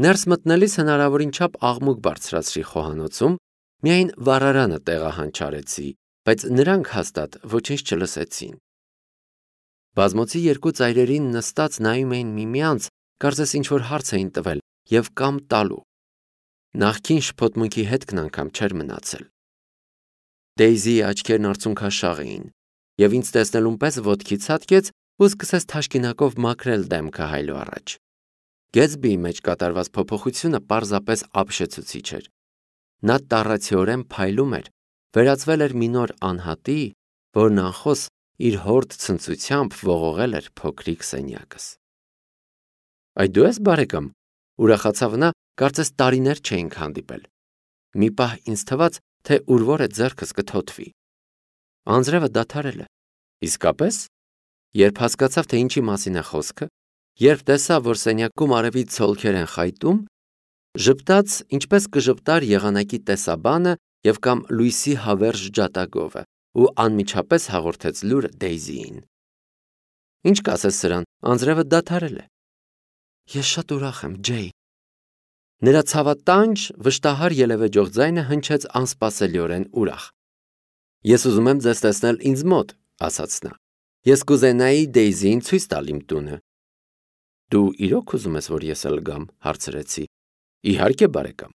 Ներս մտնելիս հնարավորին չափ աղմուկ բարձրացրի խոհանոցում, միայն վառարանը տեղահանչարեցի, բայց նրանք հաստատ ոչինչ չլսեցին։ Բազմոցի երկու ծայրերին նստած նայում էին միմյանց, կարծես ինչ-որ հարց էին տվել և կամ տալու։ Նախքին շփոթմունքի հետքն անգամ չէր մնացել։ Դեյզիի աչքերն արցունքաշաղ էին, և ինձ տեսնելուն պես ոտքի ցատկեց ու սկսեց թաշկինակով մաքրել դեմքը հայելու առաջ։ Գեթսբիի մեջ կատարված փոփոխությունը պարզապես ապշեցուցիչ էր։ Նա տառացիորեն փայլում էր, վերածվել էր մի նոր անհատի, որն անխոս իր հորդ ցնծությամբ ողողել էր փոքրիկ սենյակս։ Այ դու ես, բարեկամ, ուրախացավ նա, կարծես տարիներ չէինք հանդիպել։ Մի պահ ինձ թվաց, թե ուր-որ է ձեռքս կթոթվի։ Անձրևը դադարել է։ Իսկապես։ Երբ հասկացավ, թե ինչի մասին է խոսքը, երբ տեսավ, որ սենյակում արևի ցոլքեր են խայտում, ժպտաց, ինչպես կժպտար եղանակի տեսաբանը և կամ լույսի հավերժ ջատագովը ու անմիջապես հաղորդեց լուրը Դեյզիին։ Ինչ կասես սրան, անձրևը դադարել է։ Ես շատ ուրախ եմ, Ջեյ։ Նրա ցավատանջ, վշտահար ելևեջող ձայնը հնչեց անսպասելիորեն ուրախ։ Ես ուզում եմ ձեզ տեսնել ինձ մոտ, ասաց նա։ Ես կուզենայի Դեյզիին ցույց տալ իմ տունը։ Դու իրոք ուզում ես, որ ես էլ գամ, հարցրեցի։ Իհարկե, բարեկամ։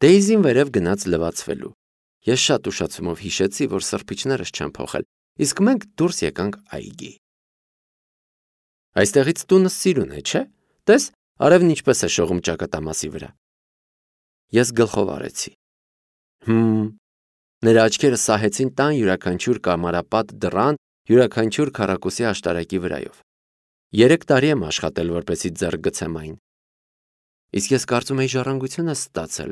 Դեյզին վերև գնաց լվացվելու։ Ես շատ ուշացումով հիշեցի, որ սրբիչներս չեն փոխել, իսկ մենք դուրս եկանք այգի։ Այստեղից տունը սիրուն է, չէ՞։ Տես, արևն ինչպես է շողում ճակատամասի վրա։ Ես գլխով արեցի։ Նրա աչքերը սահեցին տան յուրաքանչյուր կամարապատ դռան, յուրաքանչյուր քառակուսի աշտարակի վրայով։ 3 տարի եմ աշխատել, որպեսզի ձեռք գցեմ այն։ Իսկ ես կարծում էի ժառանգություն ես ստացել։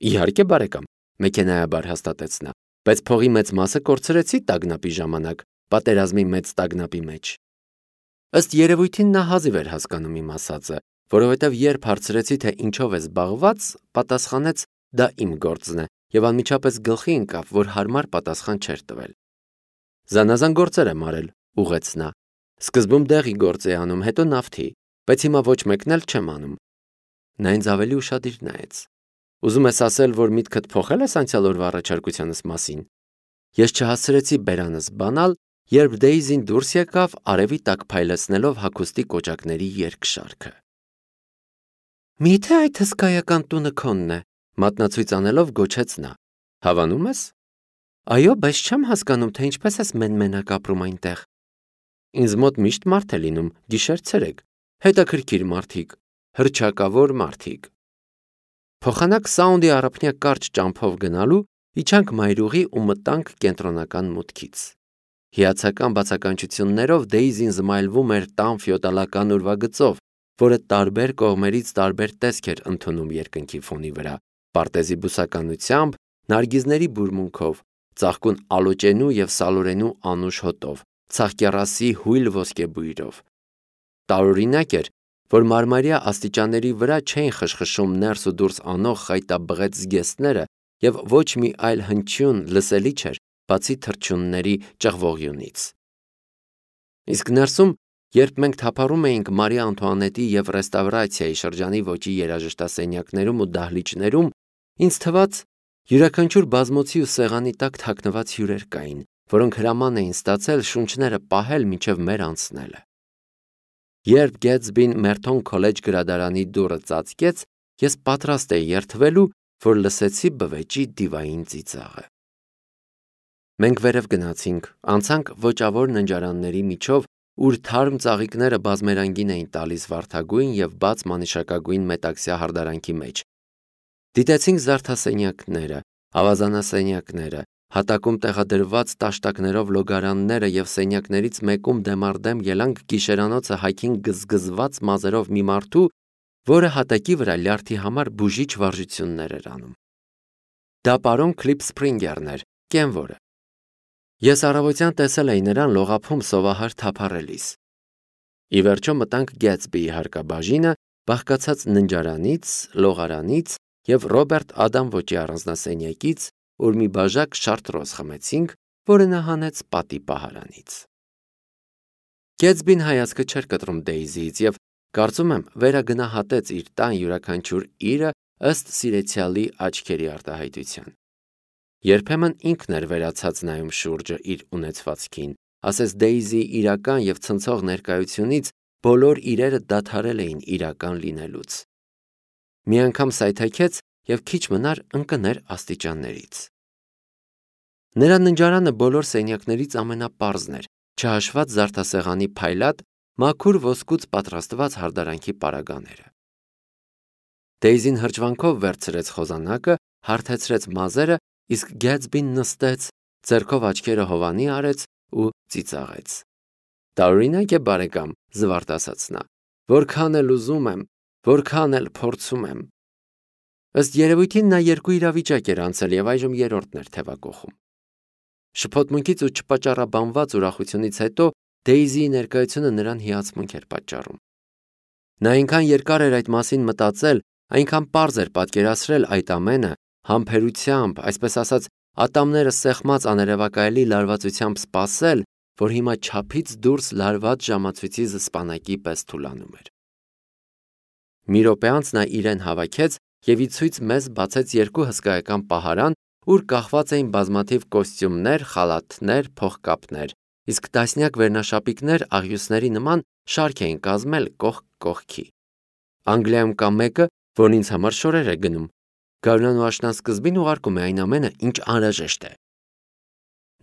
Իհարկե, բարեկամ, մեքենայաբար հաստատեց նա, բայց փողի մեծ մասը կորցրեցի տագնապի ժամանակ, պատերազմի մեծ տագնապի մեջ։ Ըստ երևույթին նա հազիվ էր հասկանում իմ ասածը, որովհետև երբ հարցրեցի, թե ինչով է զբաղված, պատասխանեց դա իմ գործն է և անմիջապես գլխի ընկավ, որ հարմար պատասխան չէր տվել։ Զանազան գործեր եմ արել, ուղղեց նա։ Սկզբում դեղի գործ էի անում, հետո նավթի, բայց հիմա ոչ մեկն էլ չեմ անում։ Նա ինձ ավելի ուշադիր նայեց։ Ուզում ես ասել, որ միտքդ փոխել ես անցյալ օրվա առաջարկությանս մասին։ Ես չհասցրեցի բերանս բանալ, երբ Դեյզին դուրս եկավ արևի տակ փայլեցնելով հագուստի կոճակների երկշարքը։ Միթե այդ հսկայական տունը քոնն է, մատնացույց անելով գոչեց նա։ Հավանում ես։ Այո, բայց չեմ հասկանում, թե ինչպես ես մեն-մենակ ապրում այնտեղ։ Ինձ մոտ միշտ մարդ է լինում, գիշեր-ցերեկ, հետաքրքիր մարդիկ, հռչակավոր մարդիկ։ Փոխանակ Սաունդի առափնյա կարճ ճամփով գնալու իջանք մայրուղի ու մտանք կենտրոնական մուտքից։ Հիացական բացականչություններով Դեյզին զմայլվում էր տան ֆյոդալական ուրվագծով, որը տարբեր կողմերից տարբեր տեսք էր ընդունում երկնքի ֆոնի վրա, պարտեզի բուսականությամբ, նարգիզների բուրմունքով, ծաղկուն ալոճենու և սալորենու անուշ հոտով, ցաղկեռասի հույլ ոսկեբույրով։ Տարօրինակ էր, որ մարմարյա աստիճանների վրա չէին խշխշում ներս ու դուրս անող խայտաբղետ զգեստները և ոչ մի այլ հնչյուն լսելի չէր, բացի թռչունների ճղվողյունից։ Իսկ ներսում, երբ մենք թափառում էինք Մարի Անտուանետի և ռեստավրացիայի շրջանի ոճի երաժշտասենյակներում ու դահլիճներում, ինձ թվաց, յուրաքանչյուր բազմոցի ու սեղանի տակ թաքնված հյուրեր կային, որոնք հրաման էին ստացել շունչները պահել մինչև մեր անցնելը։ Երբ Գեթսբին Մերթոն քոլեջ գրադարանի դուռը ծածկեց, ես պատրաստ էի երդվելու, որ լսեցի բվեճի դիվային ծիծաղը։ Մենք վերև գնացինք, անցանք ոճավոր ննջարանների միջով, ուր թարմ ծաղիկները բազմերանգին էին տալիս վարդագույն և բաց մանիշակագույն մետաքսյա հարդարանքի մեջ։ Դիտեցինք զարդասենյակները, ավազանասենյակները, հատակում տեղադրված տաշտակներով լոգարանները և սենյակներից մեկում դեմառդեմ ելանք գիշերանոցը հայքին գզգզված մազերով մի մարդու, որը հատակի վրա լյարդի համար բուժիչ վարժություններ էր անում։ Դա պարոն Քլիփսփրինգերն էր, կենվորը։ Ես առավոտյան տեսել էի նրան լողափում սովահար թափառելիս։ Ի վերջո մտանք Գեթսբիի հարկաբաժինը, բաղկացած ննջարանից, լողարանից և Ռոբերտ Ադամ ոճի առանձնասենյակից, ուր մի բաժակ շարտրոզ խմեցինք, որը նա հանեց պատի պահարանից։ Գեթսբին հայացքը չէր կտրում Դեյզիից և Կարծում եմ, վերագնահատեց իր տան յուրաքանչյուր իրը ըստ սիրեցյալի աչքերի արտահայտության։ Երբեմն ինքն էր վերացած նայում շուրջը իր ունեցվածքին, ասես Դեյզի իրական եւ ցնցող ներկայությունից բոլոր իրերը դադարել էին իրական լինելուց։ Մի անգամ սայթաքեց եւ քիչ մնար ընկներ աստիճաններից։ Նրա ննջարանը բոլոր սենյակներից ամենապարզն էր, չհաշված զարդասեղանի փայլատ, մաքուր ոսկուց պատրաստված հարդարանքի պարագաները։ Դեյզին հրճվանքով վերցրեց խոզանակը, հարթեցրեց մազերը, իսկ Գեթսբին նստեց, ձեռքով աչքերը հովանի արեց ու ծիծաղեց։ Տարօրինակ է, բարեկամ, զվարթ ասաց նա, որքան էլ ուզում եմ, որքան էլ փորձում եմ։ Ըստ երևույթին նա երկու իրավիճակ էր անցել եւ այժմ երրորդն էր թևակողում։ Շփոթմունքից ու չպաճառաբանված ուրախությունից հետո Դեյզիի ներկայությունը նրան հիացմունք էր պատճառում։ Նա այնքան երկար էր այդ մասին մտածել, այնքան պարզ էր պատկերացրել այդ ամենը, համբերությամբ, այսպես ասած, ատամները սեղմած աներևակայելի լարվածությամբ սպասել, որ հիմա չափից դուրս լարված ժամացույցի զսպանակի պես թուլանում էր։ Մի րոպե անց նա իրեն հավաքեց եւ ի ցույց մեզ բացեց երկու հսկայական պահարան, ուր կախված էին բազմաթիվ կոստյումներ, խալաթներ, փողկապներ, իսկ տասնյակ վերնաշապիկներ աղյուսների նման շարք էին կազմել կողք կողքի։ Անգլիայում կա մեկը, որն ինձ համար շորեր է գնում։ Գարնան ու աշնան սկզբին ուղարկում է այն ամենը, ինչ անհրաժեշտ է։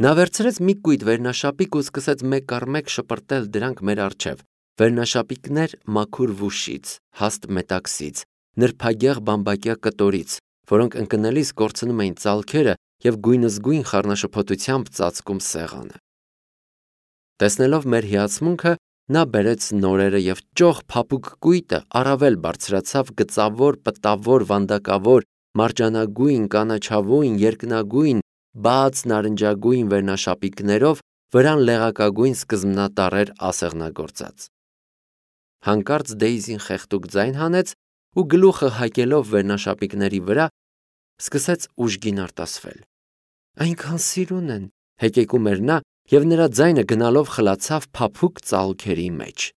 Նա վերցրեց մի կույտ վերնաշապիկ ու սկսեց մեկ առ մեկ շպրտել դրանք մեր առջև։ Վերնաշապիկներ մաքուր վուշից, հաստ մետաքսից, նրբագեղ բամբակյա կտորից, որոնք ընկնելիս կորցնում էին ծալքերը եւ գույնզգույն խառնաշփոթությամբ ծածկում սեղանը։ Տեսնելով մեր հիացմունքը, նա բերեց նորերը եւ ճոխ փափուկ կույտը առավել բարձրացավ գծավոր, պտավոր, վանդակավոր, մարջանագույն, կանաչավույն, երկնագույն, բաց նարնջագույն վերնաշապիկներով, վրան լեղակագույն սկզբնատառեր ասեղնագործած։ Հանկարծ Դեյզին խեղդուկ ձայն հանեց ու գլուխը հակելով վերնաշապիկների վրա սկսեց ուժգին արտասվել։ Այնքան սիրուն են, հեկեկում էր նա եւ նրա ձայնը գնալով խլացավ փափուկ ծալքերի մեջ։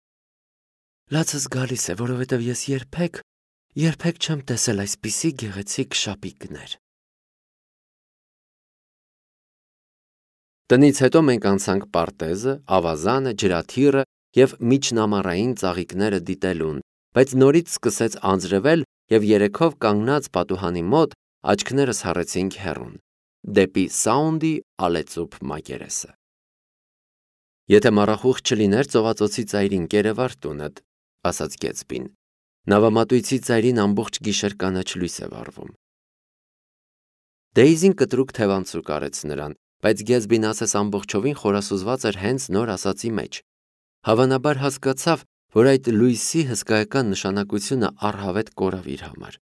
Լացս գալիս է, որովհետեւ ես երբեք չեմ տեսել այսպիսի գեղեցիկ շապիկներ։ Տնից հետո մենք անցանք պարտեզը, ավազանը, ջրաթիռը եւ միջնամարային ծաղիկները դիտելուն, բայց նորից սկսեց անձրևել եւ երեքով կանգնած պատուհանի մոտ աչքներս հառեցինք հեռուն, դեպի Սաունդի ալեծուփ մակերեսը։ Եթե մառախուղ չլիներ ծովածոցի ծայրին կերևար տունդ, ասաց Գեթսբին, նավամատույցի ծայրին ամբողջ գիշեր կանաչ լույս է վառվում։ Դեյզին կտրուկ թևանցուկ արեց նրան, բայց Գեթսբին ասես ամբողջովին խորասուզված էր հենց նոր ասացի մեջ։ Հավանաբար հասկացավ, որ այդ լույսի հսկայական նշանակությունը առհավետ կորավ իր համար։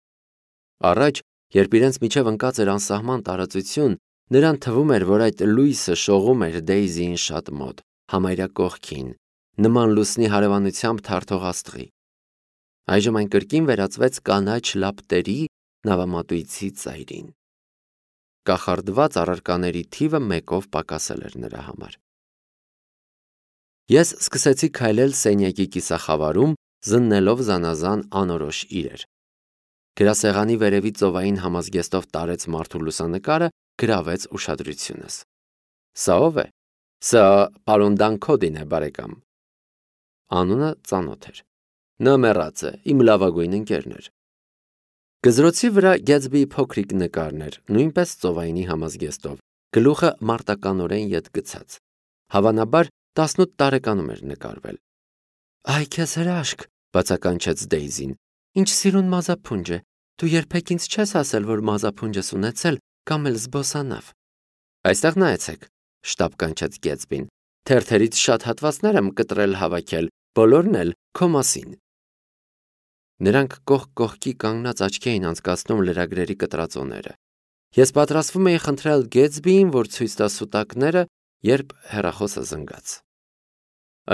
Առաջ, երբ իրենց միջև ընկած էր անսահման տարածություն, նրան թվում էր, որ այդ լույսը շողում էր Դեյզիին շատ մոտ, համարյա կողքին, նման լուսնի հարևանությամբ թարթող աստղի։ Այժմ այն կրկին վերածվեց կանաչ լապտերի նավամատույցի ծայրին։ Կախարդված առարկաների թիվը մեկով պակասել էր նրա համար։ Ես սկսեցի քայլել սենյակի կիսախավարում, զննելով զանազան անորոշ իրեր։ Գրասեղանի վերևի ծովային համազգեստով տարեց մարդու լուսանկարը, գրավեց ուշադրությունս։ Սա ով է։ Սա պարոն Դանքոդին է, բարեկամ։ Անունը ծանոթ էր։ Նա մեռած է, իմ լավագույն ընկերն էր։ Գզրոցի վրա Գեթսբիի փոքրիկ նկարն էր, նույնպես ծովայինի համազգեստով, գլուխը մարտականորեն ետ գցած։ Հավանաբար 18 տարեկանում էր նկարվել։ Այ քեզ հրաշք, բացականչեց Դեյզին։ Ինչ սիրուն մազափունջ է։ Դու երբեք ինձ չես ասել, որ մազափունջ ես ունեցել կամ էլ զբոսանավ։ Այստեղ նայեցեք, շտապ կանչեց Գեթսբին։ Թերթերից շատ հատվածներ եմ կտրել հավաքել, բոլորն էլ քո մասին։ Նրանք կողք կողքի կանգնած աչքի էին անցկացնում լրագրերի կտրածոները։ Ես պատրաստվում էի խնդրել Գեթսբիին, որ ցույց տա սուտակները, երբ հեռախոսը զնգաց։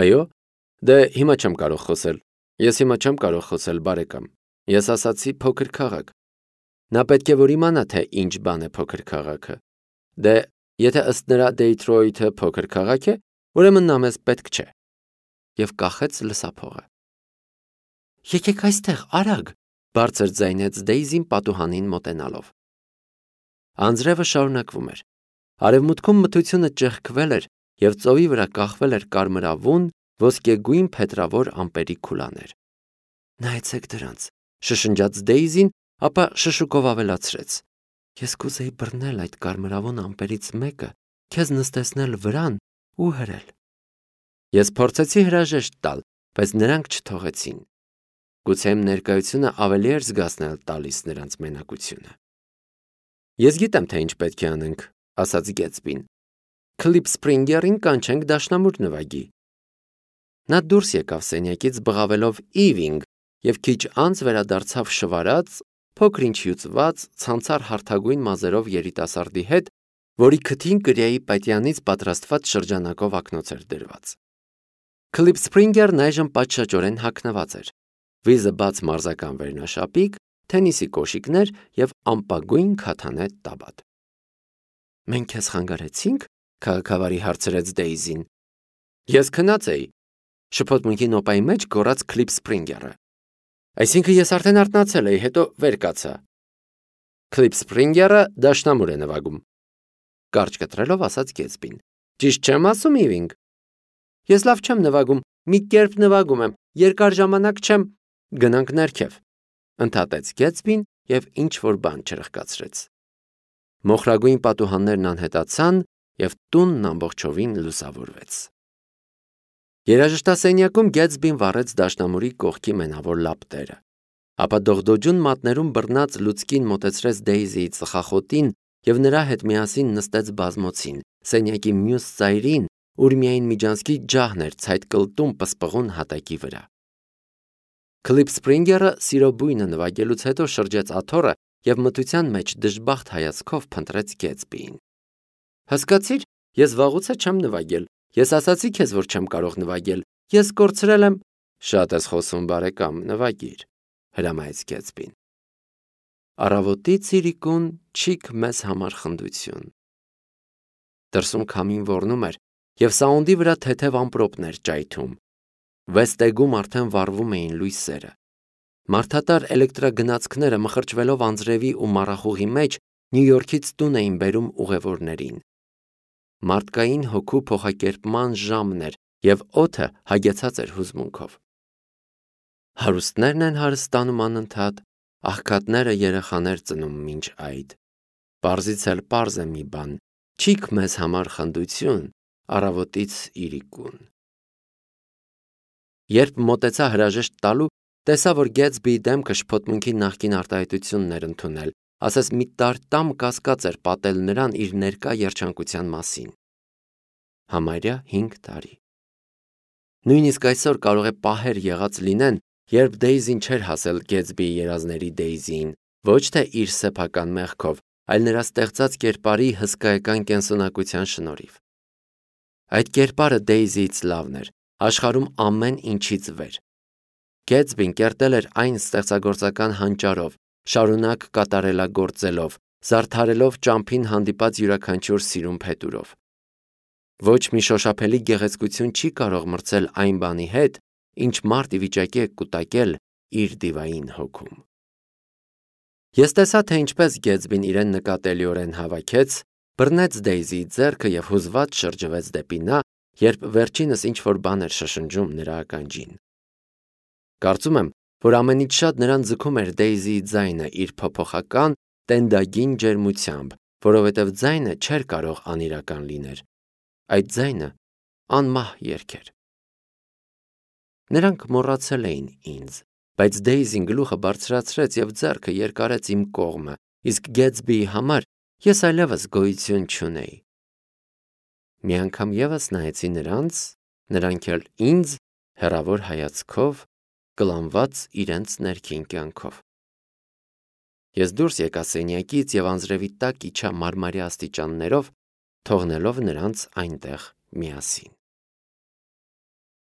Այո, դե հիմա չեմ կարող խոսել։ Ես հիմա չեմ կարող խոսել, բարեկամ։ Ես ասացի փոքր քաղաք։ Նա պետք է որ իմանա, թե ինչ բան է փոքր քաղաքը։ Դե, եթե ըստ նրա Դեյթրոյթը փոքր քաղաք է, ուրեմն նա մեզ պետք չէ։ Եվ կախեց լսափողը։ Եկեք այստեղ, արագ, բարձր ձայնեց Դեյզին պատուհանին մոտենալով։ Անձրևը շարունակվում էր։ Արևմուտքում մթությունը ճեղքվել էր և ծովի վրա կախվել էր կարմրավուն, ոսկեգույն փետրավոր ամպերի քուլաներ։ Նայեցեք դրանց, շշնջաց Դեյզին, ապա շշուկով ավելացրեց. Ես կուզեի բռնել այդ կարմրավուն ամպերից մեկը, քեզ նստեցնել վրան ու հրել։ Ես փորձեցի հրաժեշտ տալ, բայց նրանք չթողեցին։ Գուցե իմ ներկայությունը ավելի էր զգացնել տալիս նրանց մենակությունը։ Ես գիտեմ, թե ինչ պետք է անենք, ասաց Գեթսբին։ Քլիփ Սփրինգերին կանչենք դաշնամուր նվագի։ Նա դուրս եկավ սենյակից բղավելով Իվինգ և քիչ անց վերադարձավ շվարած, փոքր-ինչ հյուծված, ցանցառ հարթագույն մազերով երիտասարդի հետ, որի քթին կրիայի պատյանից պատրաստված շրջանակով ակնոց էր դրված։ Քլիփ Սփրինգերն այժմ պատշաճորեն հագնված էր։ Վիզը բաց մարզական վերնաշապիկ, թենիսի կոշիկներ և ամպագույն քաթանե տաբատ։ Մենք քեզ խանգարեցինք, քաղաքավարի հարցրեց Դեյզին։ Ես քնած էի, շփոթմունքի նոպայի մեջ գոռաց Քլիփ Սփրինգերը։ Այսինքն ես արդեն արթնացել էի, հետո վեր կացա։ Քլիփ Սփրինգերը դաշնամուր է նվագում։ Կարճ կտրելով ասաց Գեթսբին։ Ճիշտ չեմ ասում, Իվինգ։ Ես լավ չեմ նվագում, մի կերպ նվագում եմ, երկար ժամանակ չեմ։ Գնանք ներքև, ընդհատեց Գեթսբին և ինչ-որ բան չրխկացրեց։ Մոխրագույն պատուհաններն անհետացան և տունն ամբողջովին լուսավորվեց։ Երաժշտասենյակում Գեթսբին վառեց դաշնամուրի կողքի մենավոր լապտերը, ապա դողդոջուն մատներում բռնած լուցկին մոտեցրեց Դեյզիի ծխախոտին և նրա հետ միասին նստեց բազմոցին, սենյակի մյուս ծայրին, ուր միայն միջանցքի ջահն էր ցայտկլտում պսպղուն հատակի վրա։ Քլիփ Սփրինգերը սիրո բույնը նվագելուց հետո շրջեց աթոռը և մթության մեջ դժբախտ հայացքով փնտրեց Գեթսբիին։ Հասկացիր, ես վաղուց չեմ նվագել։ Ես ասացի քեզ, որ չեմ կարող նվագել։ Ես կորցրել եմ։ Շատ ես խոսում, բարեկամ, նվագիր, հրամայեց Գեթսբին։ Առավոտից իրիկուն չիք մեզ համար խնդություն։ Դրսում քամին ոռնում էր և սաունդի վրա թեթև ամպրոպներ ճայթում։ Վեստեգում արդեն վառվում էին լույսերը։ Մարդատար էլեկտրագնացքները մխրճվելով անձրևի ու մառախուղի մեջ Նյու Յորքից տուն էին բերում ուղևորներին։ Մարդկային հոգու փոխակերպման ժամն էր և օդը հագեցած էր հուզմունքով։ Հարուստներն են հարստանում անընդհատ, աղքատները երեխաներ ծնում մինչ այդ։ Պարզից էլ պարզ է մի բան, չիք մեզ համար խնդություն, առավոտից իրիկուն։ Երբ մոտեցա հրաժեշտ տալու, տեսա, որ Գեթսբիի դեմքը շփոթմունքի նախկին արտահայտությունն էր ընդունել, ասես մի տարտամ կասկած էր պատել նրան իր ներկա երջանկության մասին։ Համարյա 5 տարի։ Նույնիսկ այսօր կարող է պահեր եղած լինեն, երբ Դեյզին չէր հասել Գեթսբիի երազների Դեյզիին, ոչ թե իր սեփական մեղքով, այլ նրա ստեղծած կերպարի հսկայական կենսունակության շնորհիվ։ Այդ կերպարը Դեյզիից լավն էր, աշխարհում ամեն ինչից վեր։ Գեթսբին կերտել էր այն ստեղծագործական հանճարով, շարունակ կատարելագործելով, զարդարելով ճամփին հանդիպած յուրաքանչյուր սիրուն փետուրով։ Ոչ մի շոշափելի գեղեցկություն չի կարող մրցել այն բանի հետ, ինչ մարդ ի վիճակի է կուտակել իր դիվային հոգում։ Ես տեսա, թե ինչպես Գեթսբին իրեն նկատելիորեն հավաքեց, բռնեց Դեյզիի ձեռքը և հուզված շրջվեց դեպի նա, երբ վերջինս ինչ-որ բան էր շշնջում նրա ականջին։ Կարծում եմ, որ ամենից շատ նրան ձգում էր Դեյզիի ձայնը իր փոփոխական, տենդագին ջերմությամբ, որովհետև ձայնը չէր կարող անիրական լիներ։ Այդ ձայնը անմահ երգ էր։ Նրանք մոռացել էին ինձ, բայց Դեյզին գլուխը բարձրացրեց և ձեռքը երկարեց իմ կողմը, իսկ Գեթսբիի համար ես այլևս գոյություն չունեի։ Մի անգամ ևս նայեցի նրանց, նրանք էլ ինձ հեռավոր հայացքով, կլանված իրենց ներքին կյանքով։ Ես դուրս եկա սենյակից և անձրևի տակ իջա մարմարյա աստիճաններով, թողնելով նրանց այնտեղ միասին։